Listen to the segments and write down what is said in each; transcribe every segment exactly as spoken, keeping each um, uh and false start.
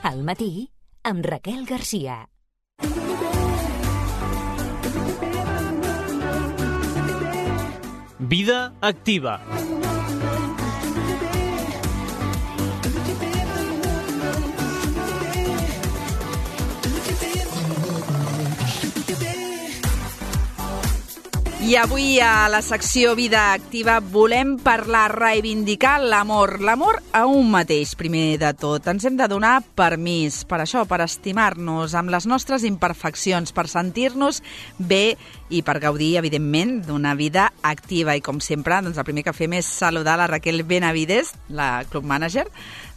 Al matí, amb Raquel Garcia. Vida activa. I avui a la secció Vida Activa volem parlar, reivindicar l'amor. L'amor a un mateix, primer de tot. Ens hem de donar permís per això, per estimar-nos amb les nostres imperfeccions, per sentir-nos bé i per gaudir, evidentment, d'una vida activa. I com sempre, doncs el primer que fem és saludar la Raquel Benavides, la club manager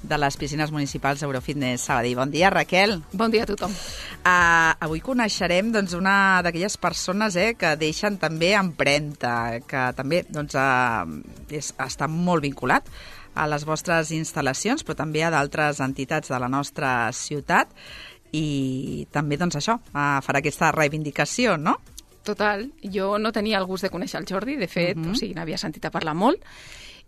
de les piscines municipals Eurofitness Sabadell. Bon dia, Raquel. Bon dia a tothom. Uh, avui coneixerem doncs, una d'aquelles persones eh, que deixen també empremta, que també doncs, uh, és, està molt vinculat a les vostres instal·lacions, però també a d'altres entitats de la nostra ciutat, i també doncs, això uh, farà aquesta reivindicació, no? Total. Jo no tenia el gust de conèixer el Jordi, de fet, uh-huh. o sigui, n'havia sentit a parlar molt,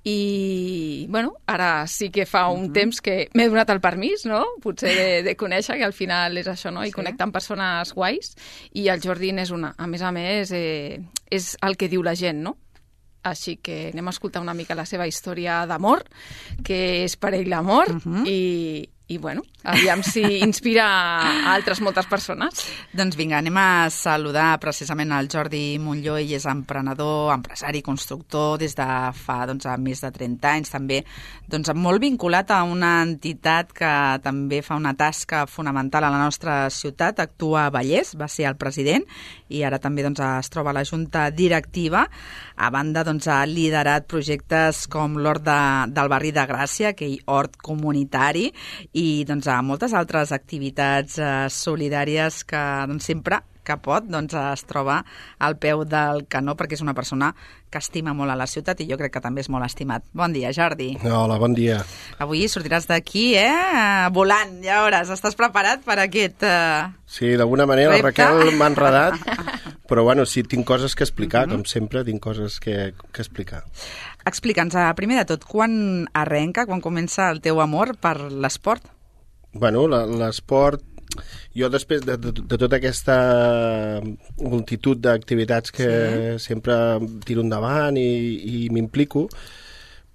i, bueno, ara sí que fa un uh-huh. temps que m'he donat el permís, no?, potser de, de conèixer, que al final és això, no?, i sí. connectar amb persones guais, i el Jordi n'és una. A més a més, eh, és el que diu la gent, no? Així que anem a escoltar una mica la seva història d'amor, que és per ell l'amor, uh-huh. i, i, bueno, aviam si inspira a altres moltes persones. Doncs vinga, anem a saludar precisament el Jordi Montlló. Ell és emprenedor, empresari, constructor des de fa doncs, més de trenta anys, també doncs, molt vinculat a una entitat que també fa una tasca fonamental a la nostra ciutat, Actua Vallès, va ser el president, i ara també doncs, es troba a la junta directiva. A banda, doncs, ha liderat projectes com l'Hort de, del barri de Gràcia, aquell hort comunitari, i doncs, a moltes altres activitats eh, solidàries que doncs, sempre que pot doncs, es troba al peu del canó, perquè és una persona que estima molt a la ciutat i jo crec que també és molt estimat. Bon dia, Jordi. Hola, bon dia. Avui sortiràs d'aquí, eh? Volant, ja veuràs. Estàs preparat per aquest eh, Sí, d'alguna manera repte? La Raquel m'ha enredat, però bueno, sí, tinc coses que explicar, uh-huh. com sempre, tinc coses que, que explicar. Explica'ns, primer de tot, quan arrenca, quan comença el teu amor per l'esport? Bueno, l'esport, jo després de, de, de tota aquesta multitud d'activitats que sí. sempre tiro endavant i, i m'implico,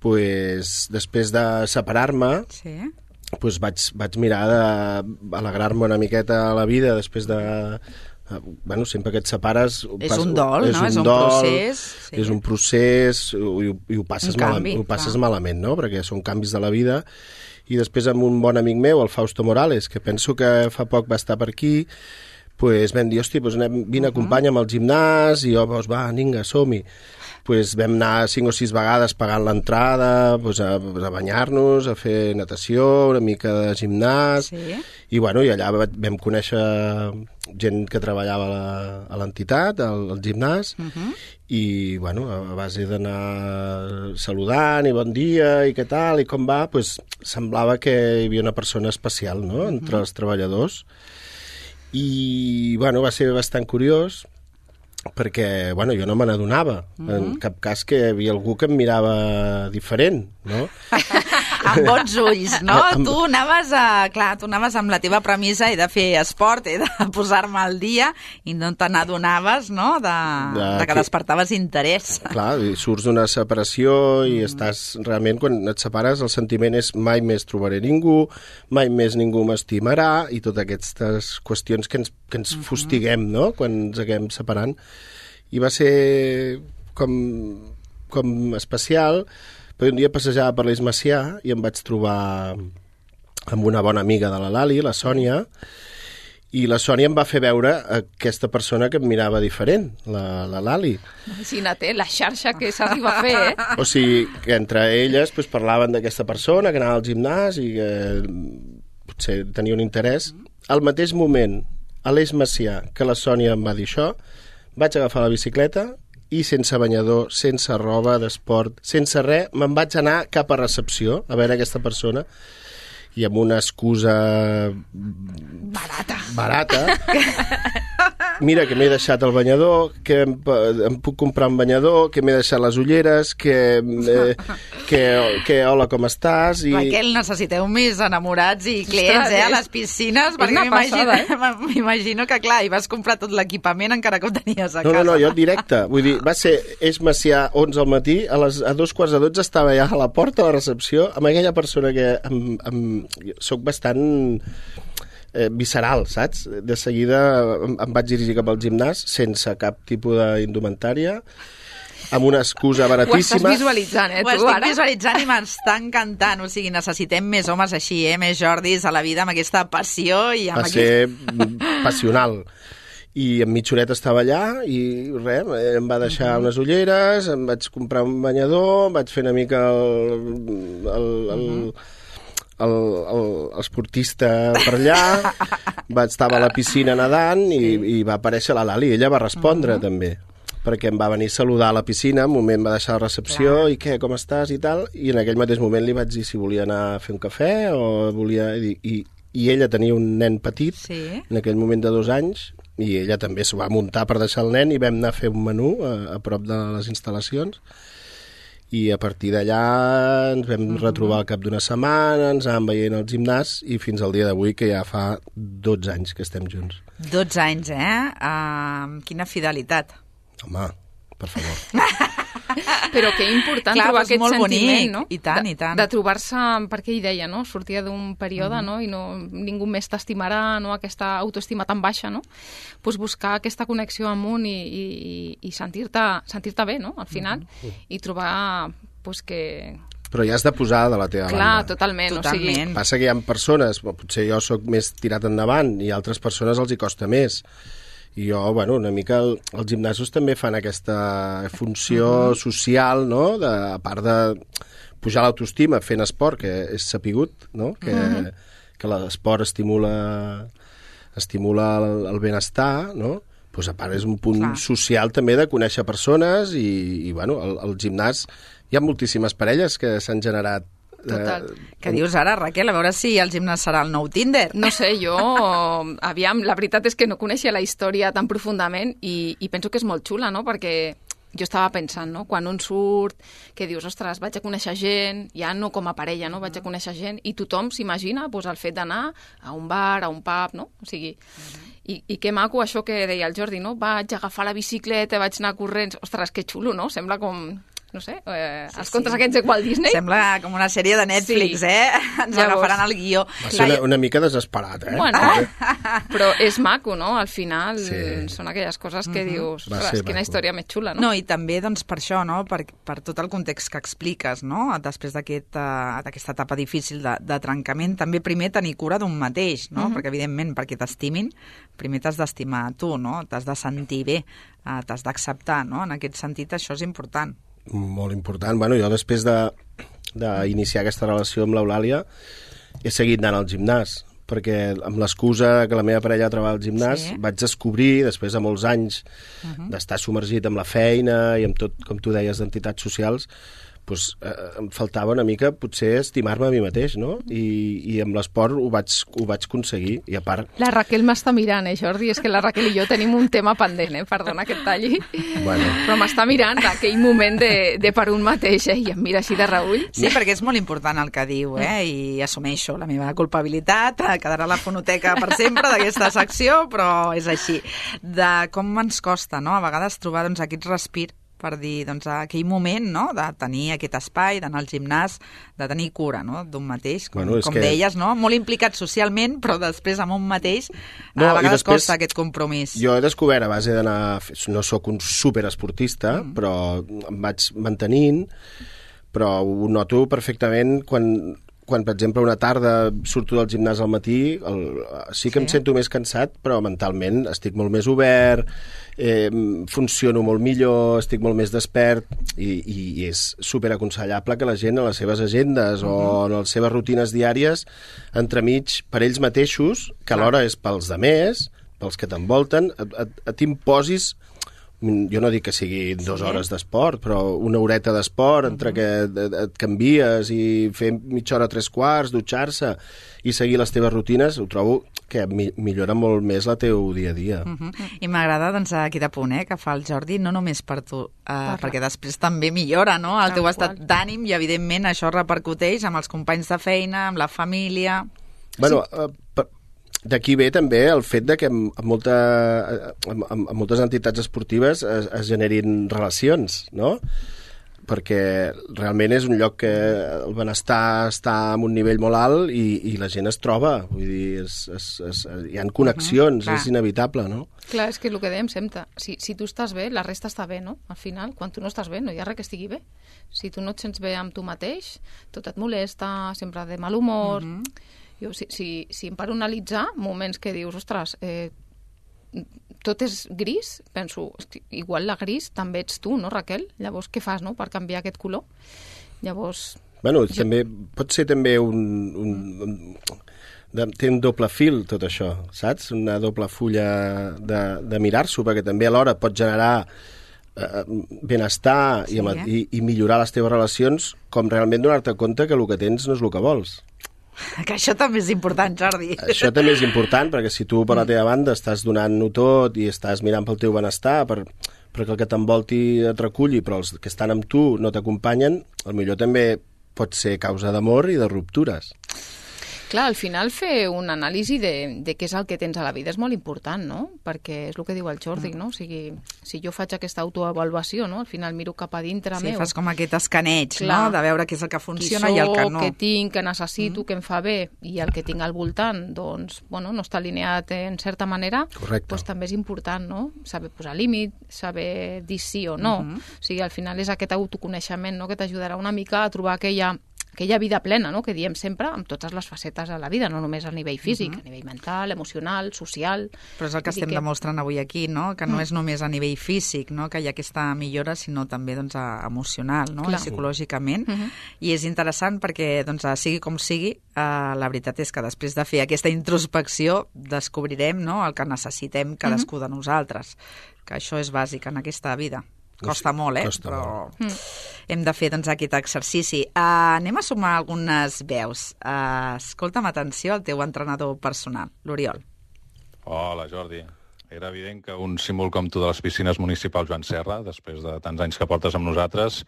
pues, després de separar-me, sí. pues vaig, vaig mirar d'alegrar-me una miqueta a la vida després de... Bueno, sempre que et separes... És pas, un dol, és no? Un és un dol, procés. Sí. És un procés i, i ho passes, canvi, mal, ho passes malament, no? Perquè són canvis de la vida. I després amb un bon amic meu, el Fausto Morales, que penso que fa poc va estar per aquí, pues vam dir, hosti, pues anem, vine, uh-huh. acompanya'm al gimnàs, i jo, pues, va, vinga, som-hi. Pues vam anar cinc o sis vegades pagant l'entrada, pues, a, a banyar-nos, a fer natació, una mica de gimnàs, sí. i, bueno, i allà vam conèixer gent que treballava a l'entitat, al, al gimnàs, uh-huh. i, bueno, a base d'anar saludant i bon dia i què tal, i com va, pues, semblava que hi havia una persona especial, no?, uh-huh. entre els treballadors. I, bueno, va ser bastant curiós, perquè, bueno, jo no me n'adonava, mm-hmm. en cap cas que hi havia algú que em mirava diferent, no? Amb bons ulls, no? Amb... Tu anaves a, clar, tu anaves amb la teva premissa i de fer esport, i de posar-me al dia, i no te n'adonaves, no?, de, de, de que, que despertaves interès. Clar, i surts d'una separació i mm. estàs, realment, quan et separes, el sentiment és mai més trobaré ningú, mai més ningú m'estimarà, i totes aquestes qüestions que ens, que ens mm-hmm. fustiguem, no?, quan ens acabem separant. I va ser com, com especial, però un dia passejava per l'Eix Macià i em vaig trobar amb una bona amiga de la Lali, la Sònia, i la Sònia em va fer veure aquesta persona que em mirava diferent, la, la Lali. Imagina't, eh, la xarxa que s'arriba a fer, eh? O sigui, que entre elles pues, parlaven d'aquesta persona que anava al gimnàs i que potser tenia un interès. Al mateix moment, a l'Eix Macià, que la Sònia em va dir això, vaig agafar la bicicleta i sense banyador, sense roba d'esport, sense res, me'n vaig anar cap a recepció a veure aquesta persona i amb una excusa barata, barata mira, que m'he deixat el banyador, que em, em puc comprar un banyador, que m'he deixat les ulleres, que, eh, que, que hola, com estàs? I... Raquel, necessiteu més enamorats i clients, eh, a les piscines, perquè m'imagino, eh? m'imagino que, clar, hi vas comprar tot l'equipament encara que ho tenies a casa. No, no, no, jo directe. Vull dir, va ser Eix Macià, onze al matí, a, les, a dos quarts de dotze estava ja a la porta de la recepció amb aquella persona que em, em, soc bastant eh, visceral, saps? De seguida em, em vaig dirigir cap al gimnàs sense cap tipus d'indumentària, amb una excusa baratíssima. Ho estàs visualitzant, eh, tu, Ho estic ara? visualitzant i m'està encantant. O sigui, necessitem més homes així, eh? Més Jordis a la vida, amb aquesta passió i amb Va aquest... ser passional. I en mitja horeta estava allà i res, em va deixar uh-huh. unes ulleres, em vaig comprar un banyador, vaig fer una mica el, el, el, el, el, el esportista per allà, vaig estar a la piscina nedant i, i va aparèixer la Lali, ella va respondre uh-huh. també, perquè em va venir a saludar a la piscina, un moment va deixar la recepció Clar. I què, com estàs i tal, i en aquell mateix moment li vaig dir si volia anar a fer un cafè o volia... I, i, i ella tenia un nen petit, sí. en aquell moment de dos anys, i ella també s'ho va muntar per deixar el nen i vam anar a fer un menú a, a prop de les instal·lacions i a partir d'allà ens vam uh-huh. retrobar al cap d'una setmana, ens anàvem veient al gimnàs i fins al dia d'avui, que ja fa dotze anys que estem junts. dotze anys, eh? Uh, quina fidelitat. Home, per favor. Però que important Clar, trobar és aquest molt sentiment, bonic. no? I tant, de, i tant. De trobar-se, perquè ell deia, no? Sortia d'un període, mm. no? I no, ningú més t'estimarà, no? Aquesta autoestima tan baixa, no? Pues buscar aquesta connexió amb un i, i, i sentir-te sentir-te bé, no? Al final, mm. i trobar, pues, que... Però ja has de posar de la teva Clar, banda. Clar, totalment. totalment. O sigui... Passa que hi ha persones, potser jo sóc més tirat endavant i altres persones els hi costa més. I jo, bueno, una mica el, els gimnasos també fan aquesta funció uh-huh. social, no? De, a part de pujar l'autoestima fent esport, que és sapigut, no? Que, uh-huh. que l'esport estimula, estimula el, el benestar, no? Pues a part és un punt Clar. Social també de conèixer persones i, i bueno, al, al gimnàs hi ha moltíssimes parelles que s'han generat. Total. Eh, Què dius ara, Raquel? A veure si el gimnàs serà el nou Tinder. No sé, jo... Aviam, la veritat és que no coneixia la història tan profundament i, i penso que és molt xula, no? Perquè jo estava pensant, no? Quan un surt, que dius, ostres, vaig a conèixer gent, ja no com a parella, no? Vaig a conèixer gent, i tothom s'imagina pues, el fet d'anar a un bar, a un pub, no? O sigui... Uh-huh. I, I que maco això que deia el Jordi, no? Vaig agafar la bicicleta, vaig anar corrents... Ostres, que xulo, no? Sembla com... no sé, eh, sí, els contes sí. aquests de Walt Disney. Sembla com una sèrie de Netflix, sí. eh? Ens Llavors, agafaran el guió. Va ser una, una mica desesperat, eh? Bueno, però és maco, no? Al final sí. són aquelles coses que uh-huh. dius, ostres, quina maco. Història més xula, no? No, i també doncs, per això, no? Per, per tot el context que expliques, no? Després d'aquesta aquest, uh, etapa difícil de, de trencament, també primer tenir cura d'un mateix, no? Uh-huh. Perquè, evidentment, perquè t'estimin, primer t'has d'estimar tu, no? T'has de sentir bé, uh, t'has d'acceptar, no? En aquest sentit, això és important. Molt important. Bueno, jo després d'iniciar aquesta relació amb l'Eulàlia he seguit anant al gimnàs, perquè amb l'excusa que la meva parella treballa al gimnàs sí. vaig descobrir, després de molts anys uh-huh. d'estar submergit amb la feina i amb tot, com tu deies, d'entitats socials, pues, eh, em faltava una mica potser estimar-me a mi mateix, no? I, i amb l'esport ho vaig, ho vaig aconseguir, i a part... La Raquel m'està mirant, eh, Jordi? És que la Raquel i jo tenim un tema pendent, eh? Perdona que et talli. Bueno. Però m'està mirant aquell moment de, de per un mateix, eh? I em mira així de reull. Sí, perquè és molt important el que diu, eh? I assumeixo la meva culpabilitat, quedarà a la fonoteca per sempre d'aquesta secció, però és així. De com ens costa, no?, a vegades trobar doncs, aquest respir per dir, doncs, aquell moment, no?, de tenir aquest espai, d'anar al gimnàs, de tenir cura, no?, d'un mateix, com, bueno, com que... deies, no?, molt implicat socialment, però després amb un mateix no, a vegades després, costa aquest compromís. Jo he descobert a base d'anar... No sóc un superesportista, mm. però em vaig mantenint, però ho noto perfectament quan... quan, per exemple, una tarda surto del gimnàs al matí, el, sí que sí. em sento més cansat, però mentalment estic molt més obert, eh, funciono molt millor, estic molt més despert, i, i, i és superaconsellable que la gent a les seves agendes uh-huh. o en les seves rutines diàries, entremig, per ells mateixos, que alhora és pels demés, pels que t'envolten, et, et, et imposis... Jo no dic que sigui dues sí. hores d'esport, però una horeta d'esport entre uh-huh. que et, et canvies i fer mitja hora, tres quarts, dutxar-se i seguir les teves rutines, ho trobo que mi millora molt més la teu dia a dia. Uh -huh. I m'agrada, doncs, aquest apunt, eh, que fa el Jordi, no només per tu, uh, perquè després també millora, no?, el teu estat d'ànim i, evidentment, això repercuteix amb els companys de feina, amb la família... Bueno, sí. uh, d'aquí ve també el fet de que en, molta, en, en moltes entitats esportives es, es generin relacions, no?, perquè realment és un lloc que el benestar està en un nivell molt alt i, i la gent es troba, vull dir, es, es, es, hi ha connexions, uh -huh, és inevitable, no? Clar, és que el que dèiem sempre, si, si tu estàs bé, la resta està bé, no? Al final, quan tu no estàs bé, no hi ha res que estigui bé. Si tu no et sents bé amb tu mateix, tot et molesta, sempre de mal humor... Uh -huh. Jo, si, si, si em paro a analitzar moments que dius, ostres, eh, tot és gris, penso, igual la gris també ets tu, no, Raquel? Llavors, què fas, no?, per canviar aquest color? Llavors... Bueno, jo... també, pot ser també un... un, un de, té un doble fil, tot això, saps? Una doble fulla de, de mirar-s'ho, perquè també alhora pot generar eh, benestar sí, i, eh? i, i millorar les teves relacions, com realment donar-te compte que el que tens no és el que vols. Que això també és important, Jordi. Això també és important, perquè si tu per la teva banda estàs donant-ho tot i estàs mirant pel teu benestar, per, perquè el que t'envolti et reculli, però els que estan amb tu no t'acompanyen, potser també pot ser causa d'amor i de ruptures. Clar, al final fer un anàlisi de, de què és el que tens a la vida és molt important, no? Perquè és el que diu el Jordi, no? O sigui, si jo faig aquesta autoavaluació, no? Al final miro cap a dintre sí, meu. Sí, fas com aquest escaneig, clar, no? De veure què és el que funciona soc, i el que no. Què tinc, què necessito, mm. què em fa bé, i el que tinc al voltant, doncs, bueno, no està alineat en certa manera, correcte, doncs també és important, no? Saber posar límit, saber dir sí o no. Mm -hmm. O sigui, al final és aquest autoconeixement, no?, que t'ajudarà una mica a trobar aquella... aquella vida plena, no?, que diem sempre, amb totes les facetes de la vida, no només a nivell físic, uh-huh, a nivell mental, emocional, social... Però és el que estem que... demostrant avui aquí, no?, que no mm. és només a nivell físic, no?, que hi ha aquesta millora, sinó també, doncs, emocional, no?, i psicològicament. Uh-huh. I és interessant perquè, doncs, sigui com sigui, eh, la veritat és que després de fer aquesta introspecció descobrirem, no?, el que necessitem cadascú uh-huh. de nosaltres, que això és bàsic en aquesta vida. Costa molt, eh? Costa però molt. Hem de fer, doncs, aquest exercici. Uh, anem a sumar algunes veus. Uh, escolta'm, atenció, el teu entrenador personal, l'Oriol. Hola, Jordi. Era evident que un símbol com tu de les piscines municipals Joan Serra, després de tants anys que portes amb nosaltres,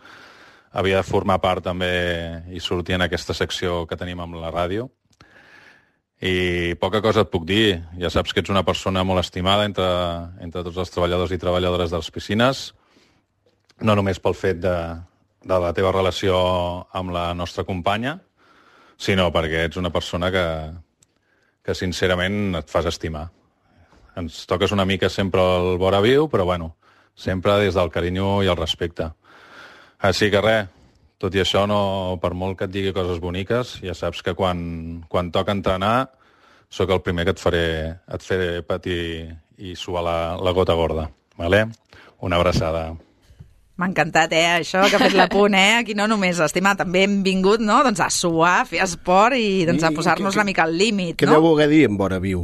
havia de formar part també i sortir en aquesta secció que tenim amb la ràdio. I poca cosa et puc dir. Ja saps que ets una persona molt estimada entre, entre tots els treballadors i treballadores de les piscines, no només pel fet de, de la teva relació amb la nostra companya, sinó perquè ets una persona que, que sincerament et fas estimar. Ens toques una mica sempre el vora viu, però bueno, sempre des del carinyo i el respecte. Així que res, tot i això, no, per molt que et digui coses boniques, ja saps que quan, quan toca entrenar sóc el primer que et faré, et faré patir i suar la, la gota gorda. Vale? Una abraçada. M'ha encantat, eh, això, que ha fet l'apunt, eh? Aquí no només estimar, també hem vingut, no?, doncs a suar, a fer esport i doncs, a posar-nos una mica al límit, no? Què deu voler dir en vora viu?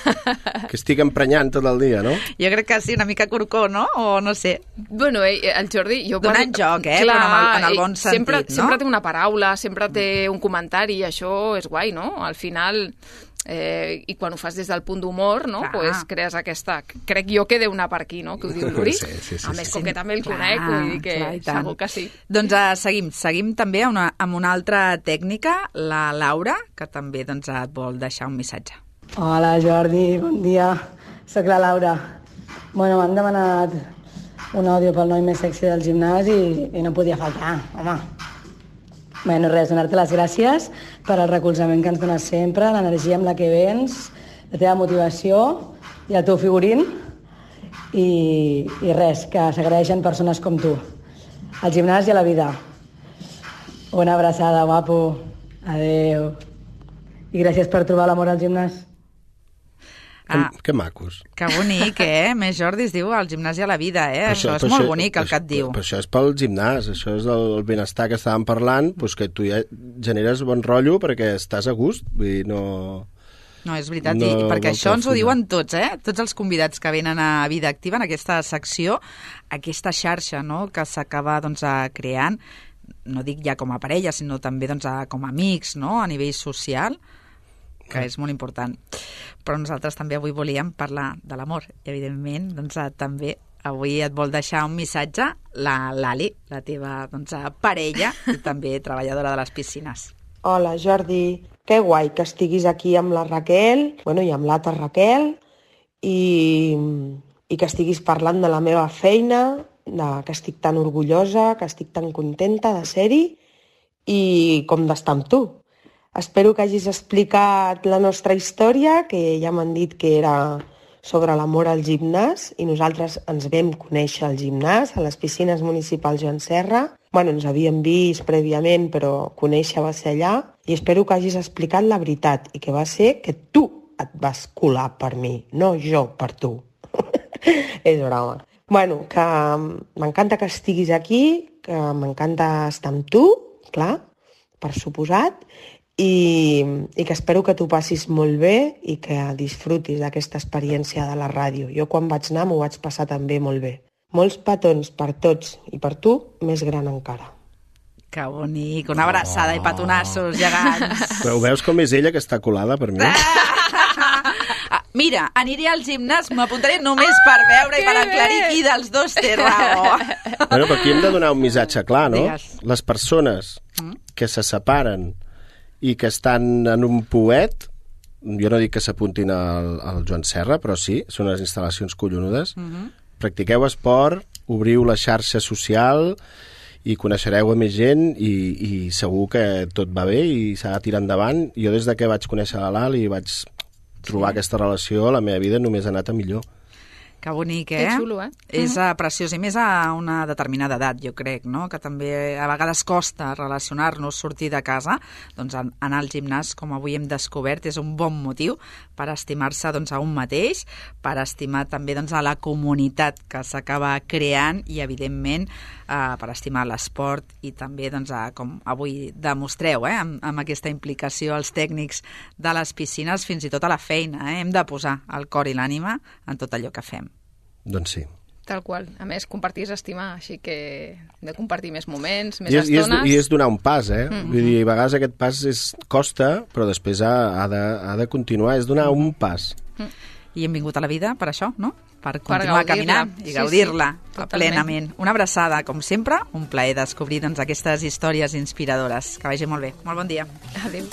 Que estic emprenyant tot el dia, no? Jo crec que sí, una mica corcó, no? O no sé. Bueno, el Jordi... Jo donant quasi... joc, eh? Clar, però en el, en el bon sentit, sempre, no? Sempre té una paraula, sempre té un comentari, i això és guai, no? Al final... Eh, i quan ho fas des del punt d'humor, no? Pues crees aquesta... Crec jo que deu anar per aquí, no?, que ho diu l'Uri. Sí, sí, sí, a més, sí, com sí. que també el clar, conec, vull dir que clar, segur que sí. Doncs uh, seguim, seguim també una, amb una altra tècnica, la Laura, que també doncs, et vol deixar un missatge. Hola, Jordi, bon dia. Soc la Laura. Bueno, m'han demanat un àudio pel noi més sexy del gimnàs i, i no podia faltar, home. Bueno, res, donar-te les gràcies per al recolzament que ens dones sempre, l'energia amb la que vens, la teva motivació i el teu figurín. I, i res, que s'agraeixen persones com tu. Al gimnàs i a la vida. Una abraçada, guapo. Adeu. I gràcies per trobar l'amor al gimnàs. Ah, que, que macos. Que bonic, eh? Més Jordi es diu al gimnàs i a la vida, eh? Això, això és molt això, bonic, el que et diu. Però això és pel gimnàs, això és el benestar que estàvem parlant, doncs que tu ja generes bon rotllo perquè estàs a gust, vull dir, no... No, és veritat, no, i perquè això ens ho diuen tots, eh? Tots els convidats que venen a Vida Activa, en aquesta secció, aquesta xarxa, no?, que s'acaba, doncs, creant, no dic ja com a parella, sinó també, doncs, com a amics, no?, a nivell social, que és molt important. però nosaltres també avui volíem parlar de l'amor. I, evidentment, doncs, també avui et vol deixar un missatge la Lali, la teva doncs, parella i també treballadora de les piscines. Hola, Jordi. Que guai que estiguis aquí amb la Raquel, bueno, i amb l'altra Raquel, i, i que estiguis parlant de la meva feina, de, que estic tan orgullosa, que estic tan contenta de ser-hi, i com d'estar amb tu. Espero que hagis explicat la nostra història, que ja m'han dit que era sobre l'amor al gimnàs, i nosaltres ens vam conèixer al gimnàs, a les piscines municipals Joan Serra. Bueno, ens havíem vist prèviament, però conèixer va ser allà, i espero que hagis explicat la veritat, i que va ser que tu et vas colar per mi, no jo per tu. És broma. Bueno, que m'encanta que estiguis aquí, que m'encanta estar amb tu, clar, per suposat, i, i que espero que t'ho passis molt bé i que disfrutis d'aquesta experiència de la ràdio. Jo quan vaig anar m'ho vaig passar també molt bé. Molts petons per tots i per tu, més gran encara. Que bonic, una abraçada oh. i petonassos gegants. Però veus com és ella que està colada per mi? Mira, aniré al gimnàs, m'apuntaré només per veure i per aclarir qui dels dos té raó. Bueno, però aquí hem de donar un missatge clar, no? Digues. Les persones que se separen i que estan en un pouet, jo no dic que s'apuntin al, al Joan Serra, però sí, són unes instal·lacions collonudes. Uh-huh. Practiqueu esport, obriu la xarxa social i coneixereu a més gent i, i segur que tot va bé i s'ha de tirar endavant. Jo des de que vaig conèixer la Lali i vaig trobar sí. aquesta relació, la meva vida només ha anat a millor. Que bonic, eh? Que xulo, eh? És uh, preciós, i més a una determinada edat, jo crec, no? Que també a vegades costa relacionar-nos, sortir de casa. Doncs anar al gimnàs, com avui hem descobert, és un bon motiu per estimar-se doncs, a un mateix, per estimar també doncs, a la comunitat que s'acaba creant i, evidentment, eh, per estimar l'esport i també, doncs, a, com avui demostreu, eh, amb, amb aquesta implicació als tècnics de les piscines, fins i tot a la feina. Eh? Hem de posar el cor i l'ànima en tot allò que fem. Doncs sí. Tal qual. A més, compartir és estimar, així que hem de compartir més moments, més I és, estones. I és, I és donar un pas, eh? Mm-hmm. Vull dir, a vegades aquest pas és, costa, però després ha, ha, de, ha de continuar, és donar un pas. Mm. I hem vingut a la vida per això, no? Per continuar per caminant i sí, gaudir-la sí, plenament. Una abraçada, com sempre, un plaer descobrir doncs, aquestes històries inspiradores. Que vagi molt bé. Molt bon dia. Adéu.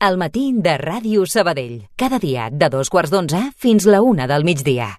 El matí de Ràdio Sabadell. Cada dia de dos quarts d'onze fins la una del migdia.